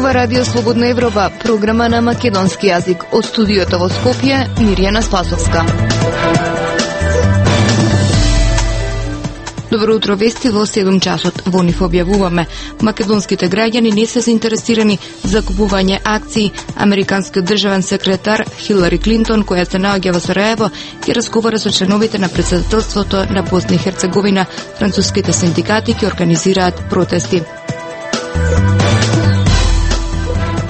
Ова Радио Слободна Европа, програма на македонски јазик. Од студиото во Скопје, Мирјана Спасовска. Добро утро, вести во 7 часот. Во нив објавуваме: македонските граѓани не се заинтересирани за купување акции. Американскиот државен секретар Хилари Клинтон, која се наоѓа во Сараево, ќе разговара со членовите на претседателството на Босна и Херцеговина. Француските синдикати ќе организираат протести.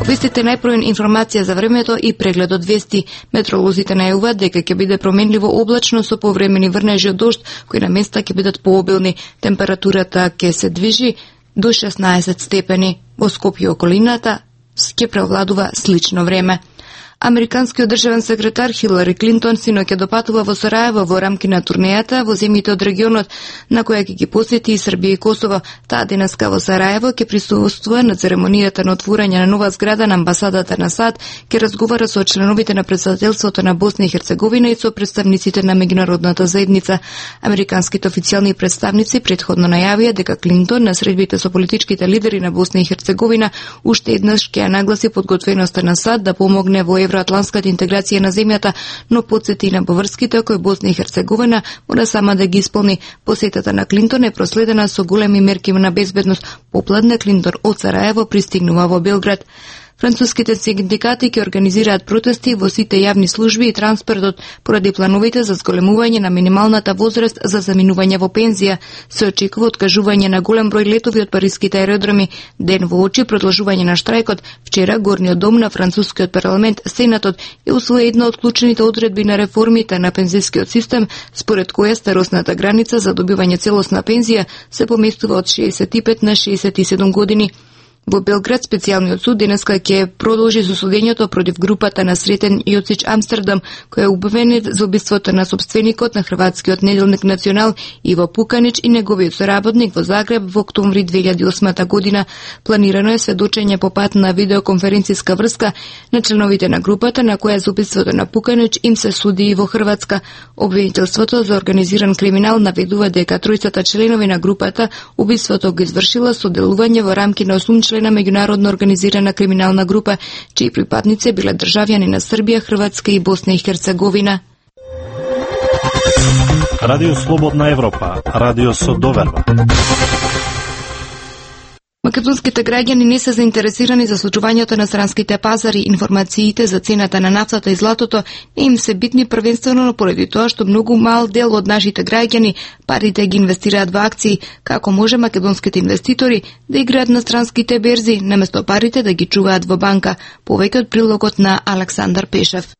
Вестите најпровен информација за времето и прегледот вести. Метеоролозите најавуваат дека ќе биде променливо облачно со повремени врнежи од дожд, кои на места ќе бидат пообилни. Температурата ќе се движи до 16 степени. Во Скопје и околината ќе превладува слично време. Американскиот државен секретар Хилари Клинтон синоќа допатува во Сараево во рамки на турнејата во земјите од регионот, на која ќе ги посети и Србија и Косово. Таа денеска во Сараево ќе присуствува на церемонијата на отворање на нова зграда на амбасадата на САД, ќе разговара со членовите на претседателството на Босна и Херцеговина и со представниците на меѓународната заедница. Американските официјални представници претходно најавија дека Клинтон на средбите со политичките лидери на Босна и Херцеговина уште еднаш ќе ја нагласи подготвеноста на САД да помогне во евроатланската интеграција на земјата, но потсети на поврските кои Босна и Херцеговина мора сама да ги исполни. Посетата на Клинтон е проследена со големи мерки на безбедност. Попладне Клинтон од Сараево пристигнува во Белград. Француските синдикати ќе организираат протести во сите јавни служби и транспортот поради плановите за зголемување на минималната возраст за заминување во пензија. Се очекува откажување на голем број летови од париските аеродроми. Ден во очи продолжување на штрајкот, вчера Горниот дом на францускиот парламент, Сенатот, е усвои една од клучните одредби на реформите на пензискиот систем, според која старосната граница за добивање целосна пензија се поместува од 65 на 67 години. Во Белград специјалниот суд денеска ќе продолжи со судењето против групата на Сретен Јоцич Амстердам, која е обвинет за убиството на собственикот на хрватскиот неделник Национал Иво Пуканич и неговиот соработник во Загреб во октомври 2008 година. Планирано е сведочење по пат на видеоконференциска врска на членовите на групата на која за убиството на Пуканич им се суди и во Хрватска. Обвинителството за организиран криминал наведува дека тројцата членови на групата убиството го извршила со делување во рамки на 8 члена на меѓународно организирана криминална група, чии припадници биле државјани на Србија, Хрватска и Босна и Херцеговина. Радио Слободна Европа, радио со доверба. Македонските граѓани не се заинтересирани за случувањето на странските пазари. Информациите за цената на нафтата и златото не им се битни првенствено поради тоа што многу мал дел од нашите граѓани парите ги инвестираат во акции. Како може македонските инвеститори да играат на странските берзи, наместо парите да ги чуваат во банка? Повеќе од прилогот на Александар Пешев.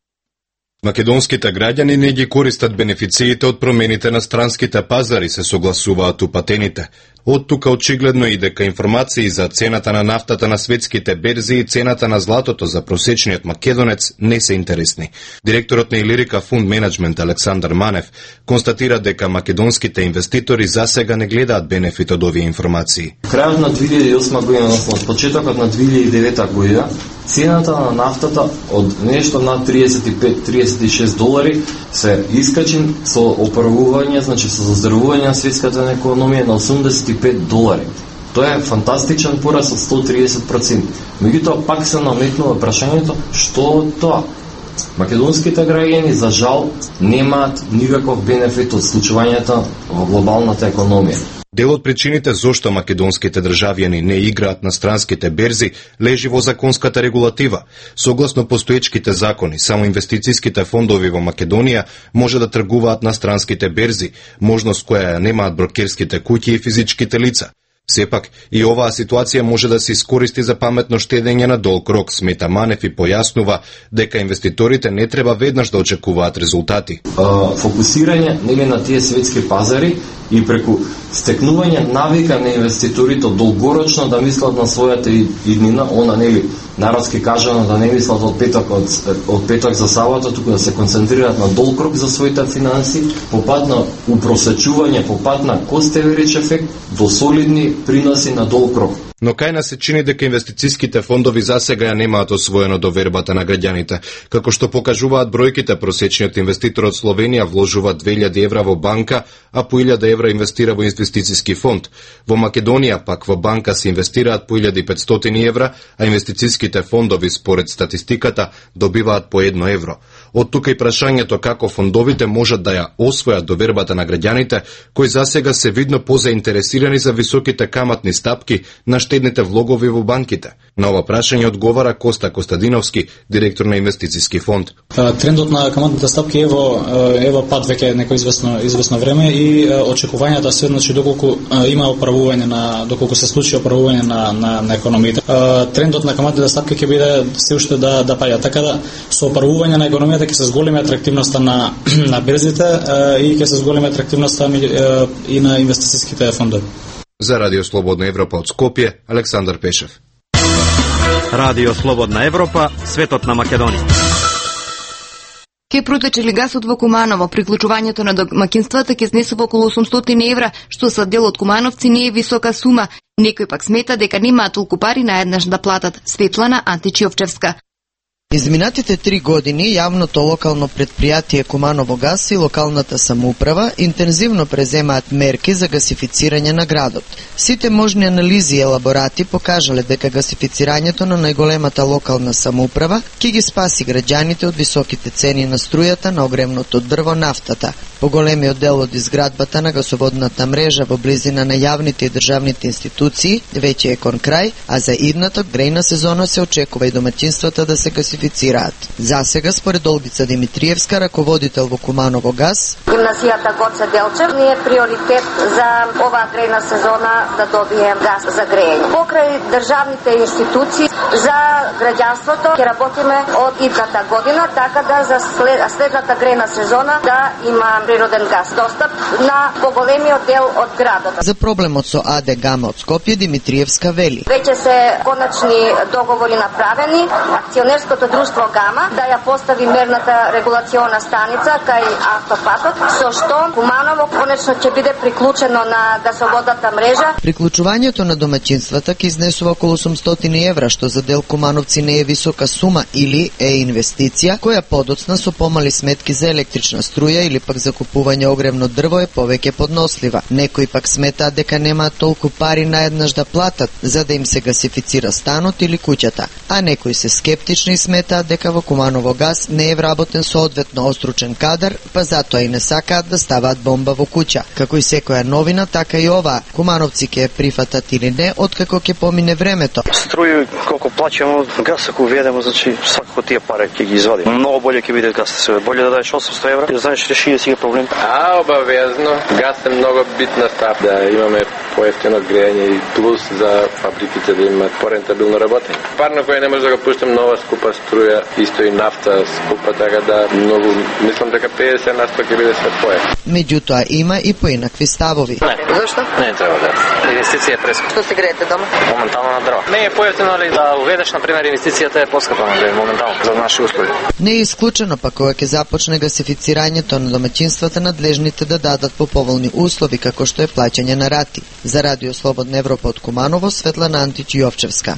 Македонските граѓани не ги користат бенефициите од промените на странските пазари, се согласуваат упатените. Од тука очигледно и дека информации за цената на нафтата на светските берзи и цената на златото за просечниот македонец не се интересни. Директорот на Илирика Фунд Менеджмент Александар Манев констатира дека македонските инвеститори засега не гледаат бенефит од овие информации. Крајот на 2008 година, односно од почетокот на 2009 година, цената на нафтата од нешто над 35-36 долари се искачи со оправување, значи со заздравување на светската економија на 85 долари. Тоа е фантастичен пораст од 130%. Меѓутоа пак се наметнува прашањето што тоа? Македонските граѓани за жал немаат никаков бенефит од случувањето во глобалната економија. Дел од причините зошто македонските државјани не играат на странските берзи лежи во законската регулатива. Согласно постоечките закони, само инвестицијските фондови во Македонија може да тргуваат на странските берзи, можност која ја немаат брокерските куќи и физичките лица. Сепак, и оваа ситуација може да се искористи за паметно штедење на долг рок, смета Манев и појаснува дека инвеститорите не треба веднаш да очекуваат резултати. Фокусирање на тие светски пазари и преку стекнување навика на инвеститорите долгорочно да мислат на својата иднина, народски кажано да не мислат од петок за сабота, туку да се концентрираат на долг рок за своите финанси, по пат на упросечување, по пат на кост-аверидж ефект до солидни приноси на долг рок. Но кај нас се чини дека инвестицијските фондови засега ја немаат освоено довербата на граѓаните. Како што покажуваат бројките, просечниот инвеститор од Словенија вложува 2000 евра во банка, а по 1000 евра инвестира во инвестицијски фонд. Во Македонија пак во банка се инвестираат по 1500 евра, а инвестицијските фондови според статистиката добиваат по 1 евро. Од тука и прашањето како фондовите можат да ја освојат довербата на граѓаните, кои засега се видно позаинтересирани за високите каматни стапки на штедните влогови во банките. На ова прашање одговара Коста Костадиновски, директор на инвестицијски фонд. Трендот на каматните стапки ево пад веќе некој известно време и очекувањата се, значи доколку има доколку се случи оправување на економијата. Трендот на каматните стапки ќе биде се уште да паѓа, така да со оправување на економијата ќе се зголеми атрактивноста на берзите и ќе се зголеми атрактивноста и на инвестицијските фондови. За Радио Слободна Европа од Скопје, Александар Пешев. Радио Слободна Европа, светот на Македонија. Ке протече ли гасот во Куманово, приклучувањето на домакинствата ќе изнесува околу 800 евра, што за дел од кумановци не е висока сума. Некој пак смета дека немаат толку пари наеднаш да платат. Светлана Античиовчевска. Изминатите 3 години јавното локално предпријатие Куманово газ и локалната самоуправа интензивно преземаат мерки за гасифицирање на градот. Сите можни анализи и елаборати покажале дека гасифицирањето на најголемата локална самоуправа ќе ги спаси граѓаните од високите цени на струјата, на огревното дрво, нафтата. Поголемиот дел од изградбата на гасоводната мрежа во близина на јавните и државните институции веќе е кон крај, а за идната грејна сезона се очекува и домаќинствата да се гасифицираат. Засега, според Олгица Димитриевска, раководител во Куманово газ, гимназијата Гоце Делчев ни е приоритет за оваа грејна сезона да добием газ за грејење. Покрај државните институции за граѓанството ќе работиме од идната година, така да за следната грејна сезона да има природен газ достап на поголемиот дел од градот. За проблемот со АД Гама од Скопје Димитриевска вели: Веќе се конечни договори направени, акционерското друштво Гама да ја постави мерната регулациона станица кај автопатот, со што Куманово конечно ќе биде приклучено на гасоводната мрежа. Приклучувањето на домаќинствата ќе изнесува околу 800 евра, што за дел кумановци не е висока сума или е инвестиција, која подоцна со помали сметки за електрична струја или пак за купување огревно дрво е повеќе поднослива. Некои пак сметаат дека немаат толку пари наеднаш да платат за да им се гасифицира станот или куќата, а некои се скептични и сметаат дека во Куманово газ не е вработен соодветно остручен кадар, па затоа и не сакаат да ставаат бомба во куќа. Како и секоја новина, така и ова. Кумановци ќе прифатат или не, откако ќе помине времето. Струја колку плаќаме, газ ако уведеме, значи свако тие пари ќе ги извадиме. Многу боле ќе биде газ, се боле да дадеш 800 евра, и знаеш реши си проблем. Обавезно. Газ е многу битна став да имаме поевтино грејање и плюс за фабриките да имаат порентабилно работење. Парно кој не може да го пуштам нова скупа струја, исто и нафта скупа, така да многу мислам дека 50% ќе биде се поев. Меѓутоа има и поинакви ставови. Не. Зашто? Не треба да. Инвестиција е прескупа. Што се греете дома? Моментално на дрво. Не е поевтино ли да уведеш на пример инвестицијата е поскапа моментално за наши услови. Не е исклучено пак кога ќе започне гасифицирањето на домаќинствата, надлежните да дадат по поволни услови како што е плаќање на рати. За Радио Слободна Европа од Куманово, Светлана Античиовчевска.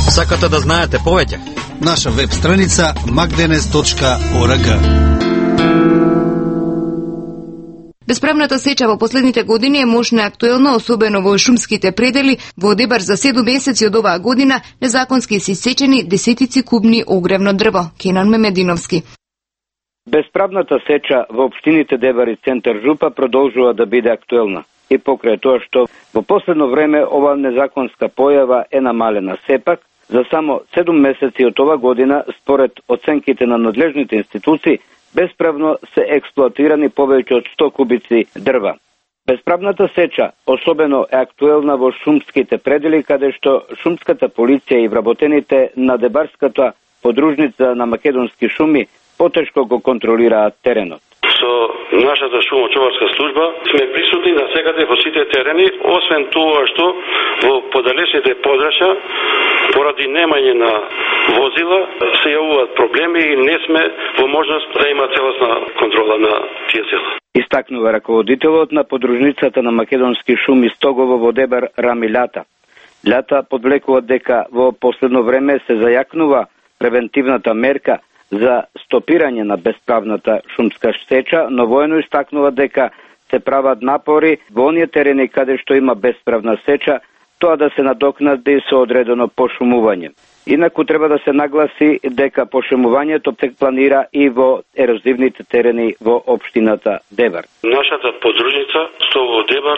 Сакате да знаете повеќе? Наша веб страница magdenes.org. Бесправната сеча во последните години е мощна и актуелна, особено во шумските предели. Во Одебар за 7 месеци од оваа година незаконски се исечени десетици кубни огревно дрво. Кенан Мемединовски. Бесправната сеча во општините Дебар и центар Жупа продолжува да биде актуелна. И покрај тоа што во последно време ова незаконска појава е намалена сепак, за само 7 месеци од ова година, според оценките на надлежните институции, бесправно се експлоатирани повеќе од 100 кубици дрва. Бесправната сеча особено е актуелна во шумските предели, каде што шумската полиција и вработените на Дебарската подружница на македонски шуми потешко го контролираат теренот. Со нашата шумочуварска служба сме присутни навсекаде во сите терени, освен тоа што во подалечните подрачја поради немање на возила се јавуваат проблеми и не сме во можност да има целосна контрола на тие села. Истакнува раководителот на подружницата на македонски шуми Стогово во Дебар Рами Лјата. Лјата подвлекува дека во последно време се зајакнува превентивната мерка за стопирање на бесправната шумска сеча, но воено истакнува дека се прават напори во оние терени каде што има бесправна сеча, тоа да се надокнади со одредено пошумување. Инаку треба да се нагласи дека пошумувањето се планира и во ерозивните терени во општината Дебар. Нашата подружница Стогово Дебар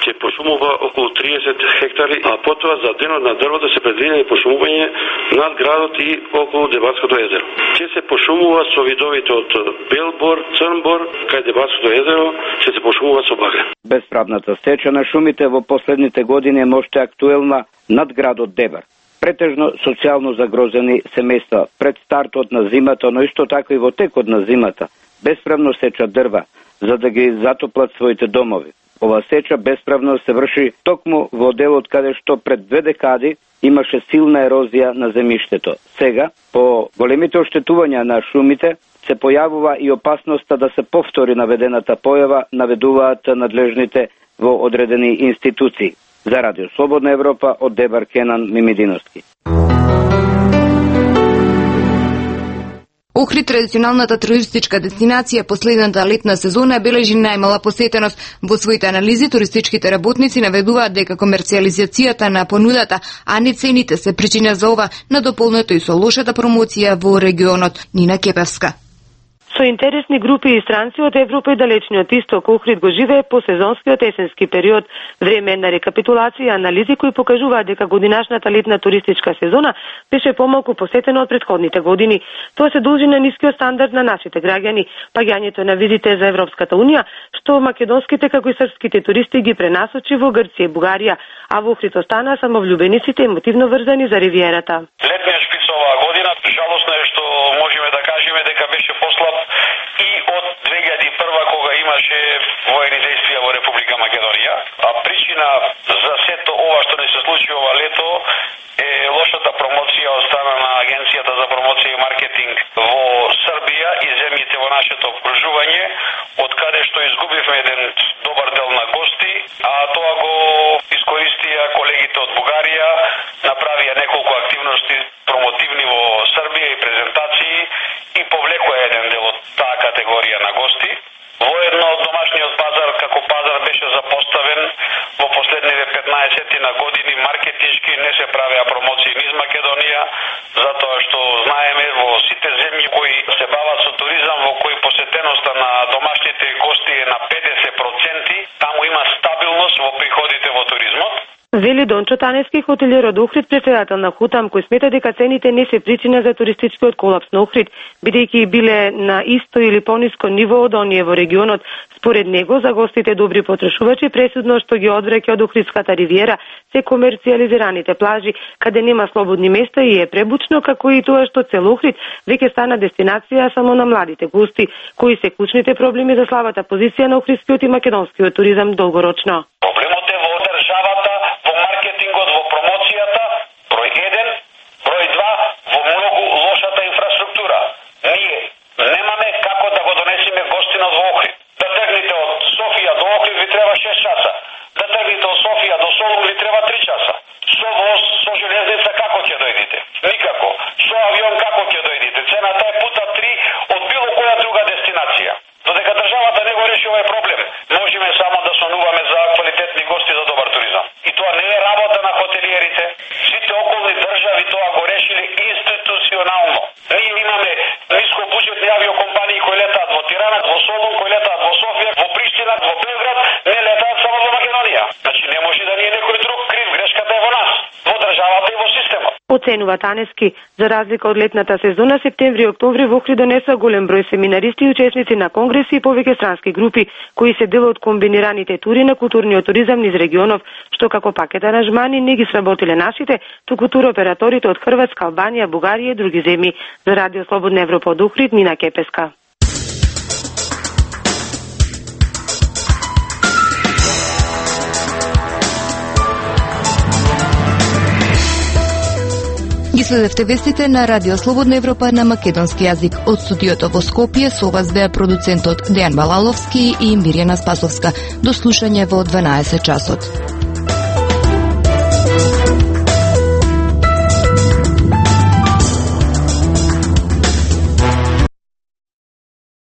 ќе пошумува околу 30 хектари, а потоа за денот на дрвото се предвидени пошумување над градот и околу Дебарското езеро. Ќе се пошумува со видовите од белбор, црнбор, кај Дебарското езеро ќе се пошумува со багрен. Бесправната сеча на шумите во последните години е можете актуелна над градот Дебар. Претежно социјално загрозени семејства пред стартот на зимата, но исто така и во текот на зимата, бесправно сеча дрва, за да ги затоплат своите домови. Ова сеча бесправно се врши токму во делот каде што пред 2 декади имаше силна ерозија на земјиштето. Сега, по големите оштетувања на шумите, се појавува и опасноста да се повтори наведената појава, наведуваат надлежните во одредени институции. За Радио Слободна Европа од Дебар Кенан Мимидиновски. Охрид, традиционалната туристичка дестинација, последната летна сезона бележи најмала посетеност. Во своите анализи туристичките работници наведуваат дека комерцијализацијата на понудата, а не цените се причина за ова, надополнето и со лошата промоција во регионот. Нина Кепевска. Со интересни групи и странци од Европа и далечниот исток, Охрид го живее по сезонскиот есенски период. Време на рекапитулација и анализи кои покажуваат дека годинашната летна туристичка сезона беше помалку посетена од претходните години. Тоа се должи на нискиот стандард на нашите граѓани, паѓањето на визите за Европската унија, што македонските како и српските туристи ги пренасочи во Грција и Бугарија, а во Охрид останаа само влюбениците емотивно врзани за ривиерата. Летниот шпиц оваа година, жалосно е што можеме да кажеме дека беше послаб и од 2001 кога имаше воени действија во Република Македонија, а причина за сето ова што не се случи ова лето е лошата промоција од страна на Агенцијата за промоција и маркетинг во Србија и земјите во нашето окружување, од каде што изгубивме еден добар дел на гости, а тоа го искористија колегите од Бугарија, направија неколку активности промотивни во Србија и презентации и повлекоа еден дел од таа категорија на гости. Воедно домашниот пазар како пазар беше запоставен во последниве 15 на години маркетички не се правеа промоции низ Македонија, затоа што знаеме во сите земји кои се бават со туризам, во кои посетеноста на домашните гости е на 50%, таму има стабилност во приходите во туризмот. Вели Дончо Таневски, хотелиер од Охрид, председател на Хутам, кој смета дека цените не се причина за туристичкиот колапс на Охрид, бидејќи биле на исто или пониско ниво од оние во регионот. Според него, за гостите добри потрошувачи, пресудно што ги одвреќа од Охридската ривиера се комерцијализираните плажи, каде нема слободни места и е пребучно, како и тоа што цел Охрид веќе стана дестинација само на младите гости, кои се клучните проблеми за слабата позиција на охридскиот и македонскиот туризам долгорочно. Проблемот е во државата, во маркетингот, во промоцијата, број 1, број 2, во многу лошата инфраструктура. Ние немаме како да го донесеме гостинот во Охрид. Да тргнете од Софија до Охрид ви треба 6 часа. Да тргнете од Софија до Солун ви треба 3 часа. Со воз, со железница како ќе дојдете? Никако. Со авион како ќе дојдете? Цената е пута 3 од било која друга дестинација. Додека државата не го реши овој проблем, можеме само да сонуваме за квалитетни гости за добар туризам. И тоа не е работа на хотелиерите. Сите околни држави тоа го решиле институционално. Ние имаме нискобуџетни авиокомпании кои летаат во Тирана, во Солун, кои летаат во Софија, во Приштина, во Белград, не летаат само во Македонија. Значи не може да ни е некој друг крив, грешката е во нас, во државата и во системот. Оценува Таневски, за разлика од летната сезона, септември и октомври во Охрид донесоа голем број семинаристи и учесници на конгреси и повеќе странски групи, кои се дел од комбинираните тури на културниот туризам низ регионов, што како пакет аранжмани не ги сработиле нашите, туку туроператорите од Хрватска, Албанија, Бугарија и други земји. За Радио Слободна Европа од Охрид, Нина Кепеска. Ги Следевте вестите на Радио Слободна Европа на македонски јазик. Од студиото во Скопје со вас беа продуцентот Дејан Балаловски и Мирјана Спасовска. До слушање во 12 часот.